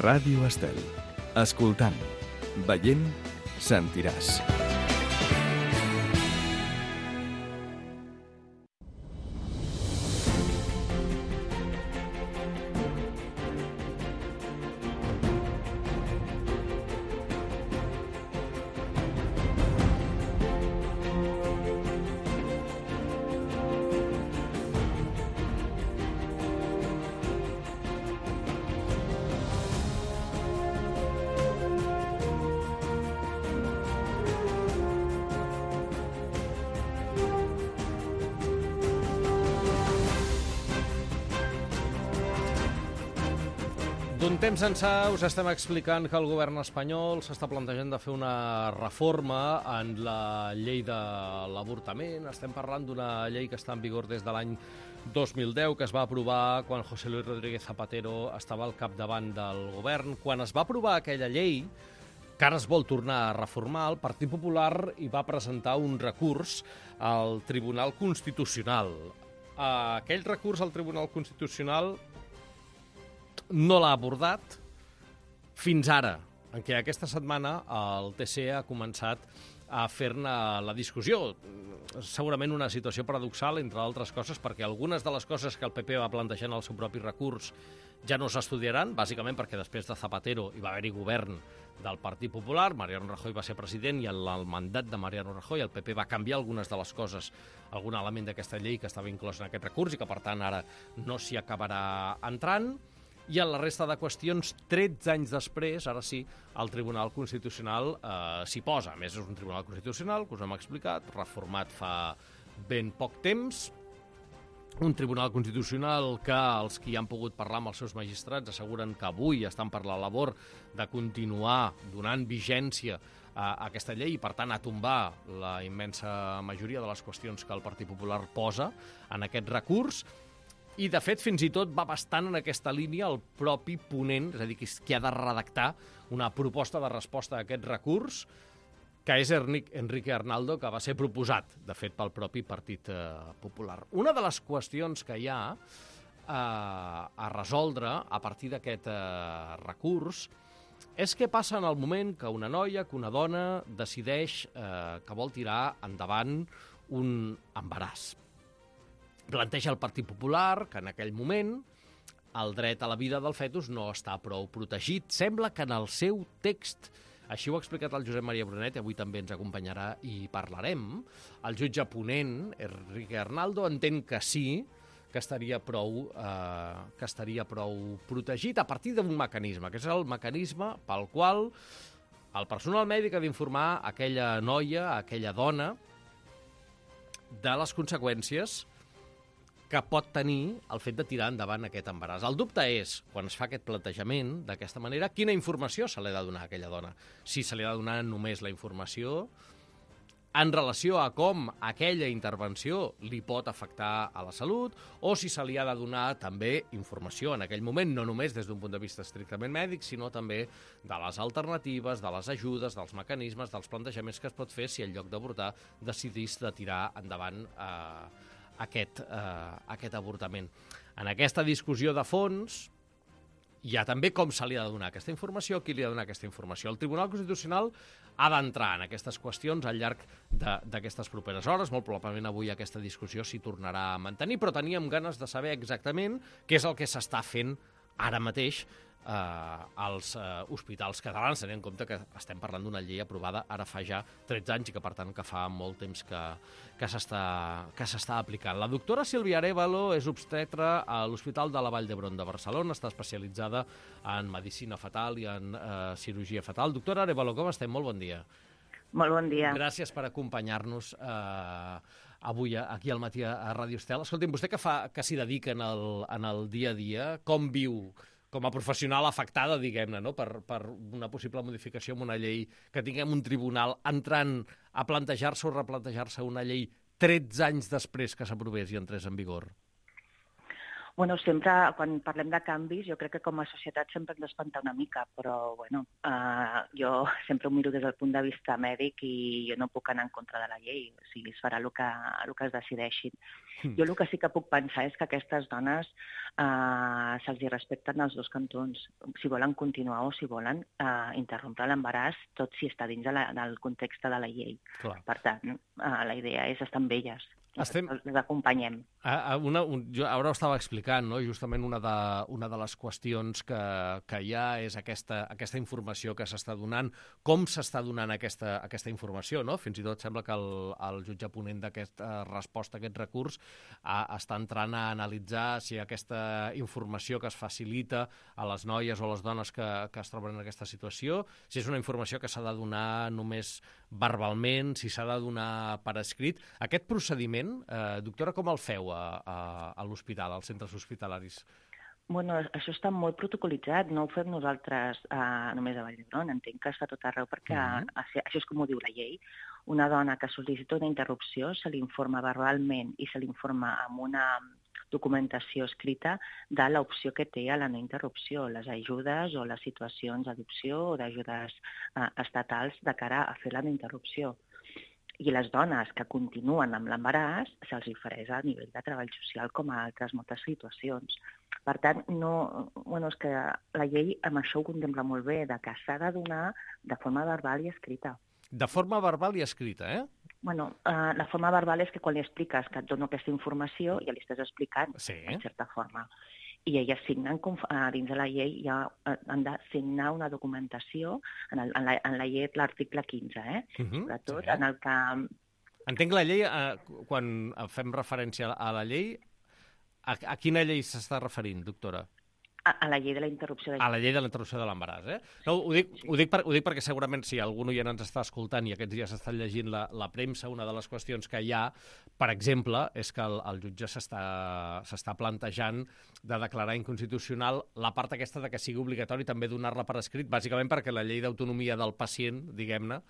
Ràdio Estel. Escoltant, veient, sentiràs. D'un temps ençà us estem explicant que el govern espanyol s'està plantejant de fer una reforma en la llei de l'avortament. Estem parlant d'una llei que està en vigor des de l'any 2010, que es va aprovar quan José Luis Rodríguez Zapatero estava al capdavant del govern. Quan es va aprovar aquella llei, que ara es vol tornar a reformar, el Partit Popular hi va presentar un recurs al Tribunal Constitucional. Aquell recurs al Tribunal Constitucional no l'ha abordat fins ara, en què aquesta setmana el TC ha començat a fer-ne la discussió. Segurament una situació paradoxal, entre altres coses, perquè algunes de les coses que el PP va plantejar en el seu propi recurs ja no s'estudiaran, bàsicament perquè després de Zapatero hi va haver-hi govern del Partit Popular, Mariano Rajoy va ser president i en el mandat de Mariano Rajoy el PP va canviar algunes de les coses, algun element d'aquesta llei que estava inclòs en aquest recurs i que, per tant, ara no s'hi acabarà entrant. I en la resta de qüestions, 13 anys després, ara sí, el Tribunal Constitucional s'hi posa. A més, és un Tribunal Constitucional, que us hem explicat, reformat fa ben poc temps. Un Tribunal Constitucional que els qui han pogut parlar amb els seus magistrats asseguren que avui estan per la labor de continuar donant vigència a aquesta llei i, per tant, a tombar la immensa majoria de les qüestions que el Partit Popular posa en aquest recurs. I, de fet, fins i tot va bastant en aquesta línia el propi ponent, és a dir, qui ha de redactar una proposta de resposta a aquest recurs, que és Enrique Arnaldo, que va ser proposat, de fet, pel propi Partit Popular. Una de les qüestions que hi ha a resoldre a partir d'aquest recurs és què passa en el moment que una noia, que una dona, decideix que vol tirar endavant un embaràs. Planteja el Partit Popular que en aquell moment el dret a la vida del fetus no està prou protegit. Sembla que en el seu text, així ho ha explicat el Josep Maria Brunet, i avui també ens acompanyarà i parlarem, el jutge ponent, Enrique Arnaldo, entén que sí, que estaria prou protegit a partir d'un mecanisme, que és el mecanisme pel qual el personal mèdic ha d'informar aquella noia, aquella dona, de les conseqüències que pot tenir el fet de tirar endavant aquest embaràs. El dubte és, quan es fa aquest plantejament d'aquesta manera, quina informació se li ha de donar a aquella dona. Si se li ha de donar només la informació en relació a com aquella intervenció li pot afectar a la salut, o si se li ha de donar també informació en aquell moment, no només des d'un punt de vista estrictament mèdic, sinó també de les alternatives, de les ajudes, dels mecanismes, dels plantejaments que es pot fer si en lloc d'avortar decidís de tirar endavant aquest avortament. En aquesta discussió de fons hi ha també com se li ha de donar aquesta informació, qui li ha de donar aquesta informació. El Tribunal Constitucional ha d'entrar en aquestes qüestions al llarg d'aquestes properes hores. Molt probablement avui aquesta discussió s'hi tornarà a mantenir, però teníem ganes de saber exactament què és el que s'està fent ara mateix als hospitals catalans, tenint en compte que estem parlant d'una llei aprovada ara fa ja 13 anys i que, per tant, que fa molt temps que s'està aplicant. La doctora Sílvia Arévalo és obstetra a l'Hospital de la Vall d'Hebron de Barcelona, està especialitzada en medicina fetal i en cirurgia fetal. Doctora Arévalo, com estem? Molt bon dia. Molt bon dia. Gràcies per acompanyar-nos avui aquí al matí a Ràdio Estel. Escolti'm, vostè que s'hi dedica en el dia a dia, com viu com a professional afectada, diguem-ne, no? per una possible modificació en una llei, que tinguem un tribunal entrant a plantejar-se o replantejar-se una llei 13 anys després que s'aprovés i entrés en vigor? Bueno, sempre, quan parlem de canvis, jo crec que com a societat sempre hem d'espantar una mica, però bueno, jo sempre ho miro des del punt de vista mèdic i jo no puc anar en contra de la llei, o sigui, es farà el que es decideixin. Jo el que sí que puc pensar és que aquestes dones se'ls respecten els dos cantons, si volen continuar o si volen interrompre l'embaràs, tot si està dins del context de la llei. Clar. Per tant, la idea és estar amb elles. Les acompanyem. Jo ara ho estava explicant, no? Justament una de les qüestions que hi ha és aquesta informació que s'està donant, com s'està donant aquesta informació, no? Fins i tot sembla que el jutge ponent d'aquesta resposta a aquest recurs està entrant a analitzar si aquesta informació que es facilita a les noies o a les dones que es troben en aquesta situació, si és una informació que s'ha de donar només verbalment, si s'ha de donar per escrit. Aquest procediment, doctora, com el feu a l'hospital, als centres hospitalaris? Bueno, això està molt protocolitzat, no ho fem nosaltres només a Vall d'Hebron, entenc que es fa tot arreu perquè això és com ho diu la llei. Una dona que sol·licita una interrupció se li informa verbalment i se li informa amb una documentació escrita de l'opció que té a la no interrupció, les ajudes o les situacions d'adopció o d'ajudes estatals de cara a fer la no interrupció. I les dones que continuen amb l'embaràs se'ls ofereix a nivell de treball social com a altres moltes situacions. Per tant, és que la llei amb això ho contempla molt bé, de que s'ha de donar de forma verbal i escrita. De forma verbal i escrita, eh? Bueno, la forma verbal és que quan li expliques que et dono aquesta informació ja li estàs explicant, en certa forma. I elles signen, dins de la llei ja han de signar una documentació, en la llei l'article 15, sobretot en el que... Entenc la llei, quan fem referència a la llei, a quina llei s'està referint, doctora? A la llei de la interrupció de l'embaràs. A la llei de la interrupció de l'embaràs, eh? No, ho dic perquè segurament si algun oient ens està escoltant i aquests dies està llegint la premsa, una de les qüestions que hi ha, per exemple, és que el jutge s'està plantejant de declarar inconstitucional la part aquesta de que sigui obligatori també donar-la per escrit, bàsicament perquè la llei d'autonomia del pacient, diguem-ne,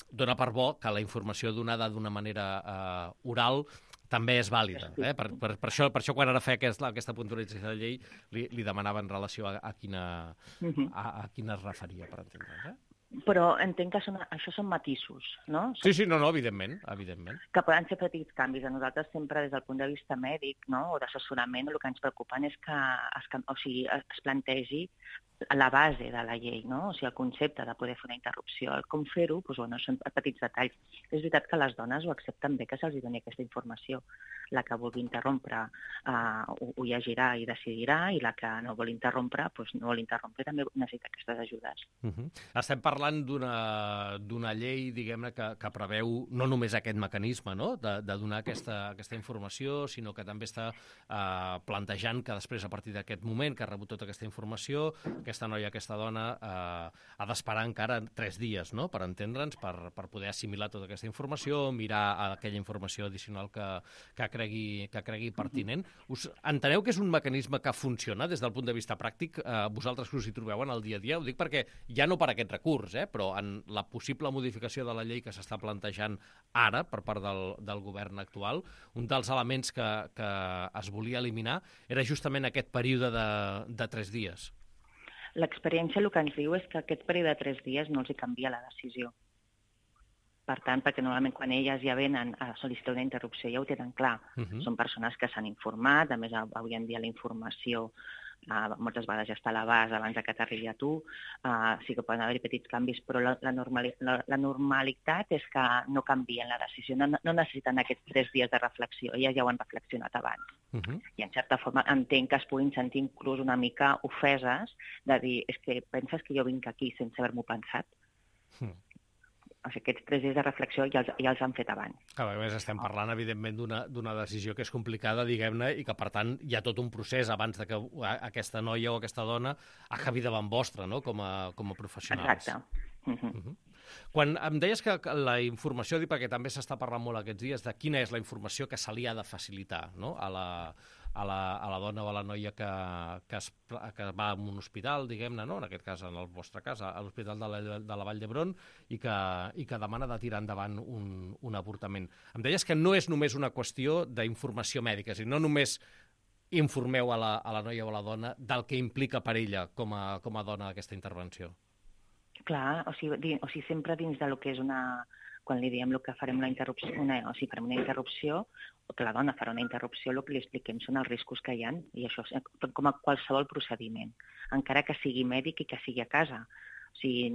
dona per bo que la informació donada d'una manera oral també és vàlida. Per això quan ara feia aquesta puntualització de la llei, li demanava en relació a quina es referia, per entendre's. Però entenc que això són matisos, no? Sí, no, evidentment. Que poden ser petits canvis. A nosaltres sempre, des del punt de vista mèdic, no, o d'assessorament, el que ens preocupa és que es plantegi la base de la llei, no? O sigui, el concepte de poder fer una interrupció, el com fer-ho, són petits detalls. És veritat que les dones ho accepten bé que se'ls doni aquesta informació. La que vulgui interrompre ho llegirà i decidirà, i la que no vol interrompre, no vol interrompre, també necessita aquestes ajudes. Estem parlant d'una llei, diguem-ne, que preveu no només aquest mecanisme, no?, de donar aquesta informació, sinó que també està plantejant que després, a partir d'aquest moment que ha rebut tota aquesta informació, aquesta noia, aquesta dona, ha d'esperar encara 3 dies, no?, per entendre'ns, per poder assimilar tota aquesta informació, mirar aquella informació addicional que cregui pertinent. Enteneu que és un mecanisme que funciona des del punt de vista pràctic? Vosaltres que us hi trobeu en el dia a dia? Ho dic perquè ja no per aquest recurs, però en la possible modificació de la llei que s'està plantejant ara per part del govern actual, un dels elements que es volia eliminar era justament aquest període de 3 dies. L'experiència el que ens diu és que aquest període de 3 dies no els hi canvia la decisió. Per tant, perquè normalment quan elles ja venen a sol·licitar una interrupció ja ho tenen clar. Són persones que s'han informat, a més avui en dia la informació moltes vegades ja està a l'abast abans que t'arribi a tu, sí que poden haver-hi petits canvis, però la normalitat és que no canvien la decisió, no necessiten aquests 3 dies de reflexió, elles ja ho han reflexionat abans. I en certa forma entenc que es puguin sentir inclús una mica ofeses de dir, és que penses que jo vinc aquí sense haver-m'ho pensat? O sigui, aquests 3 dies de reflexió ja els han fet abans. A més, estem parlant, evidentment, d'una decisió que és complicada, diguem-ne, i que, per tant, hi ha tot un procés abans de que aquesta noia o aquesta dona acabi davant vostra, no?, com a professionals. Exacte. Quan em deies que la informació, perquè també s'està parlant molt aquests dies, de quina és la informació que se li ha de facilitar, no?, a la dona o a la noia que va a un hospital, diguem-ne, no?, en aquest cas, en el vostre cas, a l'Hospital de la Vall d'Hebron, i que demana de tirar endavant un avortament. Em deies que no és només una qüestió d'informació mèdica, és a dir, no només informeu a la noia o a la dona del que implica per ella com a dona aquesta intervenció? Clar, o sigui, sempre dins del que és quan li diem que farem una interrupció, farem una interrupció, o que la dona farà una interrupció, el que li expliquem són els riscos que hi ha, i això com a qualsevol procediment, encara que sigui mèdic i que sigui a casa. O sigui,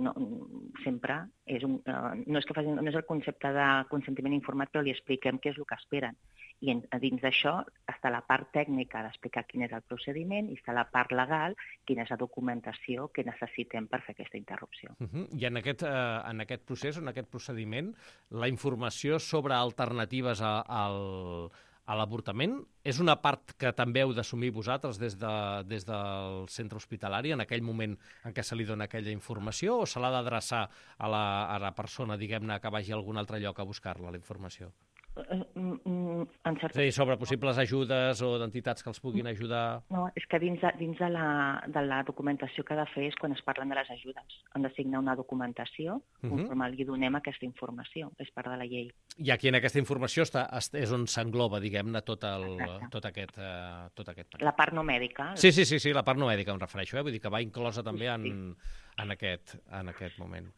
sempre no és el concepte de consentiment informat, però li expliquem què és el que esperen. I dins d'això està la part tècnica d'explicar quin és el procediment i està la part legal, quina és la documentació que necessitem per fer aquesta interrupció. I en aquest procés, en aquest procediment, la informació sobre alternatives a l'avortament és una part que també heu d'assumir vosaltres des del centre hospitalari en aquell moment en què se li dona aquella informació, o se l'ha d'adreçar a la persona, diguem-ne, que vagi a algun altre lloc a buscar-la, la informació? És a dir, sobre possibles ajudes o d'entitats que els puguin ajudar? No, és que dins de la documentació que ha de fer és quan es parlen de les ajudes. Han de signar una documentació conforme li donem aquesta informació. És part de la llei. I aquí en aquesta informació és on s'engloba, diguem-ne, tot aquest paquet. La part no mèdica. Sí, la part no mèdica em refereixo, vull dir que va inclosa també en aquest moment.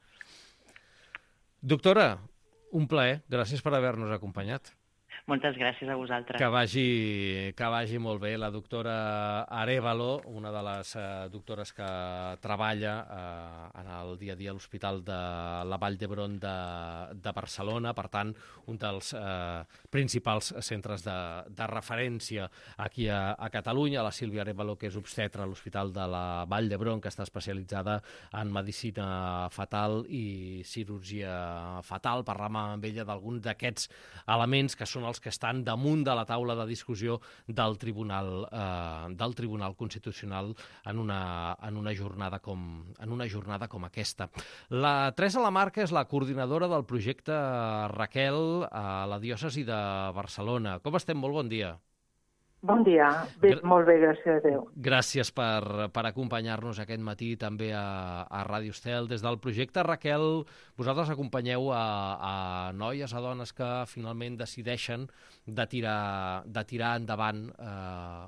Doctora, un plaer, gràcies per haver-nos acompanyat. Moltes gràcies a vosaltres. Que vagi molt bé. La doctora Arévalo, una de les doctores que treballa en el dia a dia a l'Hospital de la Vall d'Hebron de Barcelona, per tant, un dels principals centres de referència aquí a Catalunya, la Sílvia Arévalo, que és obstetra a l'Hospital de la Vall d'Hebron, que està especialitzada en medicina fetal i cirurgia fetal. Parlàvem amb ella d'alguns d'aquests elements que són els que estan damunt de la taula de discussió del Tribunal Constitucional en una jornada com aquesta. La Teresa Lamarca és la coordinadora del projecte Raquel a la diòcesi de Barcelona. Com estem? Molt bon dia. Bon dia. Molt bé, gràcies a Déu. Gràcies per acompanyar-nos aquest matí també a Ràdio Estel. Des del projecte Raquel, vosaltres acompanyeu a noies, a dones que finalment decideixen de tirar endavant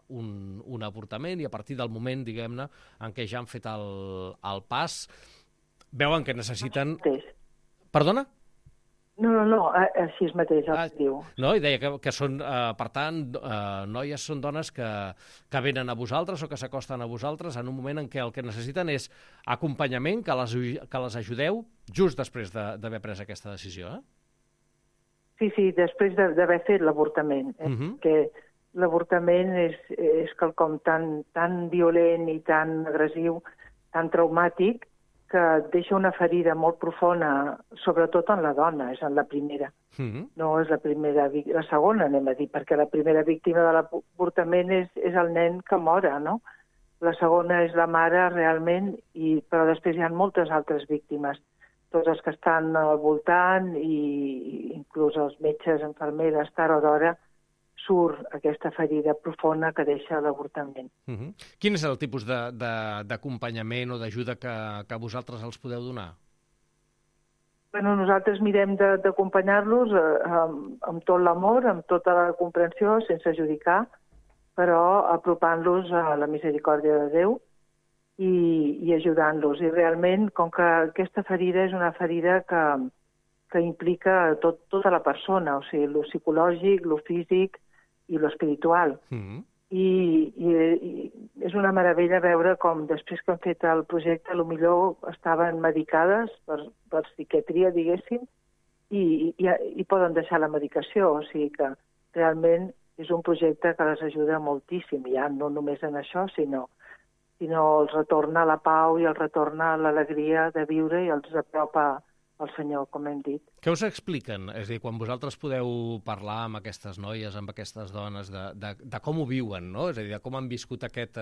un avortament, i a partir del moment, diguem-ne, en què ja han fet el pas, veuen que necessiten... Perdona? No, així mateix el diu. No, i deia que són, per tant, noies són dones que venen a vosaltres o que s'acosten a vosaltres en un moment en què el que necessiten és acompanyament, que les ajudeu just després d'haver pres aquesta decisió, Sí, després d'haver fet l'avortament. Que l'avortament és quelcom tan violent i tan agressiu, tan traumàtic, que deixa una ferida molt profunda, sobretot en la dona, és en la primera. No és la segona, anem a dir, perquè la primera víctima de l'avortament és el nen que mora, no? La segona és la mare, realment, però després hi ha moltes altres víctimes, tots els que estan al voltant, i inclús els metges, infermeres, tard o d'hora, surt aquesta ferida profunda que deixa l'avortament. Quin és el tipus d'acompanyament o d'ajuda que vosaltres els podeu donar? Nosaltres mirem d'acompanyar-los amb tot l'amor, amb tota la comprensió, sense judicar, però apropant-los a la misericòrdia de Déu i ajudant-los. I realment, com que aquesta ferida és una ferida que implica tota la persona, o sigui, lo psicològic, lo físic i lo espiritual. I és una meravella veure com després que han fet el projecte, potser estaven medicades per psiquiatria, diguéssim, i poden deixar la medicació. O sigui que realment és un projecte que les ajuda moltíssim, ja no només en això, sinó els retorna la pau i els retorna l'alegria de viure i els apropa al Senyor, com hem dit. Què us expliquen? És a dir, quan vosaltres podeu parlar amb aquestes noies, amb aquestes dones, de com ho viuen, no? És a dir, de com han viscut aquest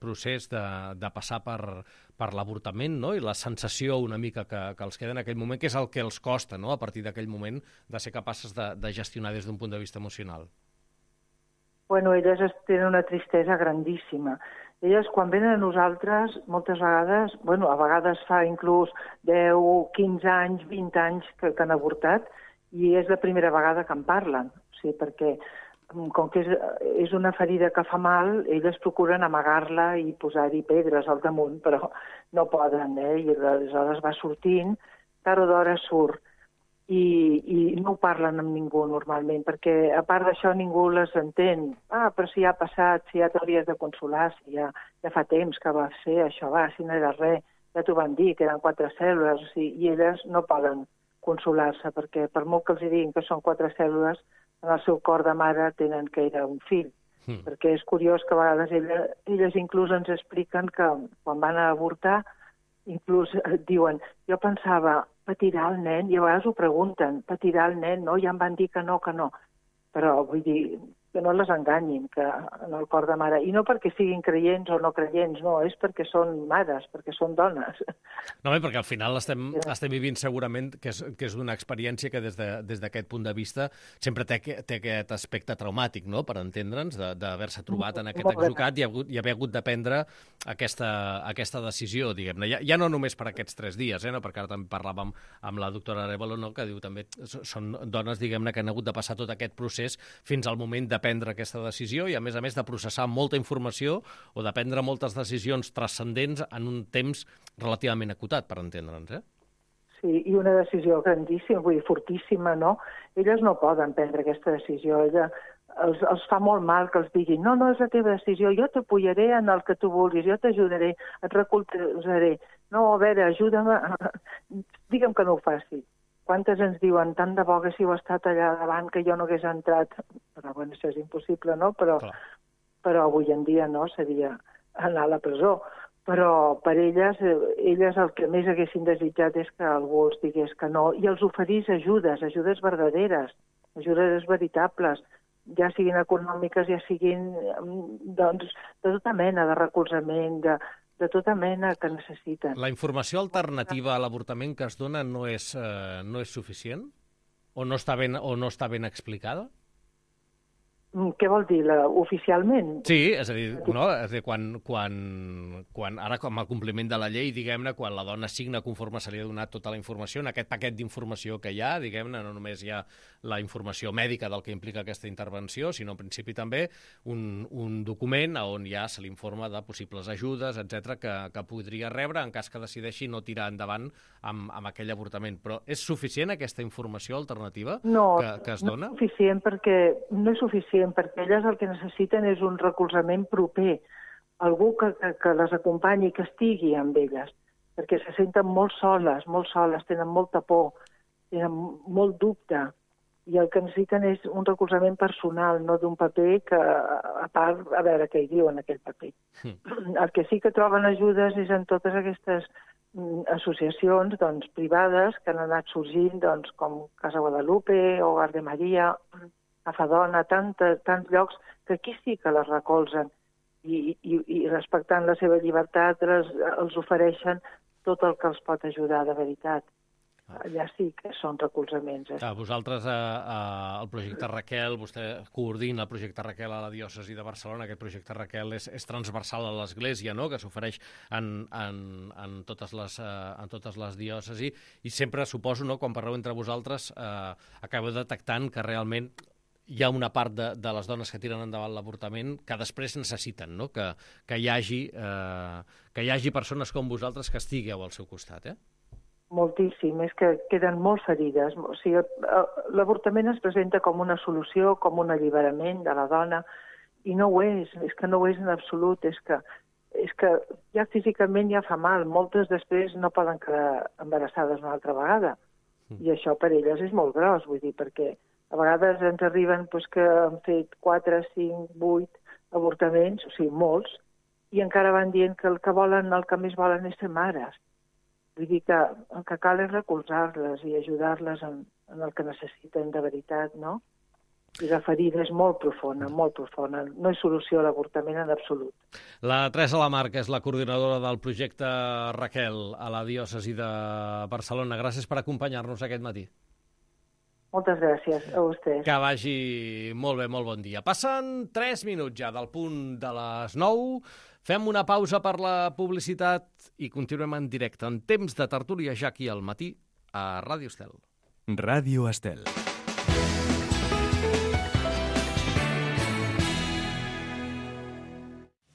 procés de passar per l'avortament, no? I la sensació una mica que els queda en aquell moment, que és el que els costa, no?, a partir d'aquell moment, de ser capaces de gestionar des d'un punt de vista emocional. Elles tenen una tristesa grandíssima. Elles, quan venen a nosaltres, moltes vegades, a vegades fa inclús 10, 15 anys, 20 anys que han avortat, i és la primera vegada que en parlen. O sigui, perquè com que és una ferida que fa mal, elles procuren amagar-la i posar-hi pedres al damunt, però no poden, I aleshores va sortint, tard o d'hora surt. I no ho parlen amb ningú normalment, perquè a part d'això ningú les entén. Però si ja ha passat, si ja t'hauries de consolar, si ja fa temps que va ser això, si no era res, ja t'ho van dir, que eren 4 cèl·lules, i elles no poden consolar-se, perquè per molt que els diguin que són 4 cèl·lules, en el seu cor de mare tenen que era un fill. Perquè és curiós que a vegades elles inclús ens expliquen que quan van a avortar, inclús diuen, jo pensava, patirà el nen, i a vegades ho pregunten, patirà el nen, no? Ja em van dir que no. Però vull dir, que no les enganyin, que en el cor de mare. I no perquè siguin creients o no creients, no, és perquè són mares, perquè són dones. No, perquè al final estem vivint segurament que és una experiència que des d'aquest punt de vista sempre té aquest aspecte traumàtic, no?, per entendre'ns, d'haver-se trobat en aquest atzucac i haver hagut de prendre aquesta decisió, diguem-ne. Ja no només per aquests 3 dies, no?, perquè ara també parlàvem amb la doctora Arévalo, no?, que diu també són dones, diguem-ne, que han hagut de passar tot aquest procés fins al moment de prendre aquesta decisió i, a més, de processar molta informació o de prendre moltes decisions transcendents en un temps relativament acotat, per entendre'ns, Sí, i una decisió grandíssima, vull dir, fortíssima, no? Elles no poden prendre aquesta decisió. Els fa molt mal que els diguin no és la teva decisió, jo t'apoyaré en el que tu vulguis, jo t'ajudaré, et recolzaré. No, a veure, ajuda'm, digue'm que no ho faci. Quantes ens diuen, tant de bo haguéssiu estat allà davant que jo no hagués entrat. Però, bueno, això és impossible, no? Però avui en dia no, seria anar a la presó. Però per elles el que més haguessin desitjat és que algú els digués que no i els oferís ajudes verdaderes, ajudes veritables, ja siguin econòmiques, ja siguin doncs, de tota mena de recolzament, de tota mena que necessiten. La informació alternativa a l'avortament que es dona no és suficient? O no està ben explicada? Què vol dir, oficialment? Sí, és a dir, quan ara, com a compliment de la llei, diguem-ne, quan la dona signa conforme se li ha donat tota la informació, en aquest paquet d'informació que hi ha, diguem-ne, no només hi ha la informació mèdica del que implica aquesta intervenció, sinó en principi també un document on ja se l'informa de possibles ajudes, etc que podria rebre en cas que decideixi no tirar endavant amb aquell avortament. Però és suficient aquesta informació alternativa que es dona? No és suficient perquè elles el que necessiten és un recolzament proper, algú que les acompanyi, que estigui amb elles, perquè se senten molt soles, tenen molta por, tenen molt dubte, i el que necessiten és un recolzament personal, no d'un paper que, a part, a veure què hi diu en aquell paper. El que sí que troben ajudes és en totes aquestes associacions privades que han anat sorgint, com Casa Guadalupe, Hogar de Maria, Afadona, tants llocs que aquí sí que les recolzen i respectant la seva llibertat els ofereixen tot el que els pot ajudar de veritat. Allà sí que són recolzaments. Vosaltres, el projecte Raquel, vostè coordina el projecte Raquel a la diòcesi de Barcelona. Aquest projecte Raquel és transversal a l'Església, no?, que s'ofereix en totes les diòcesis, i sempre, suposo, no?, quan parleu entre vosaltres, acabeu detectant que realment hi ha una part de les dones que tiren endavant l'avortament que després necessiten, no?, que hi hagi persones com vosaltres que estigueu al seu costat, Moltíssim, és que queden molt ferides. O sigui, l'avortament es presenta com una solució, com un alliberament de la dona, i no ho és que no ho és en absolut, és que ja físicament ja fa mal, moltes després no poden quedar embarassades una altra vegada, i això per elles és molt gros, vull dir, perquè a vegades ens arriben que han fet 4, 5, 8 avortaments, o sigui, molts, i encara van dient que el que més volen és ser mares. Vull dir que el que cal és recolzar-les i ajudar-les en el que necessiten de veritat, no? I la ferida és molt profunda, molt profunda. No és solució a l'avortament en absolut. La Teresa Lamarca és la coordinadora del projecte Raquel a la diòcesi de Barcelona. Gràcies per acompanyar-nos aquest matí. Moltes gràcies a vostès. Que vagi molt bé, molt bon dia. Passen 3 minuts ja del punt de les 9. Fem una pausa per la publicitat i continuem en directe en temps de tertúlia ja aquí al matí a Ràdio Estel. Ràdio Estel.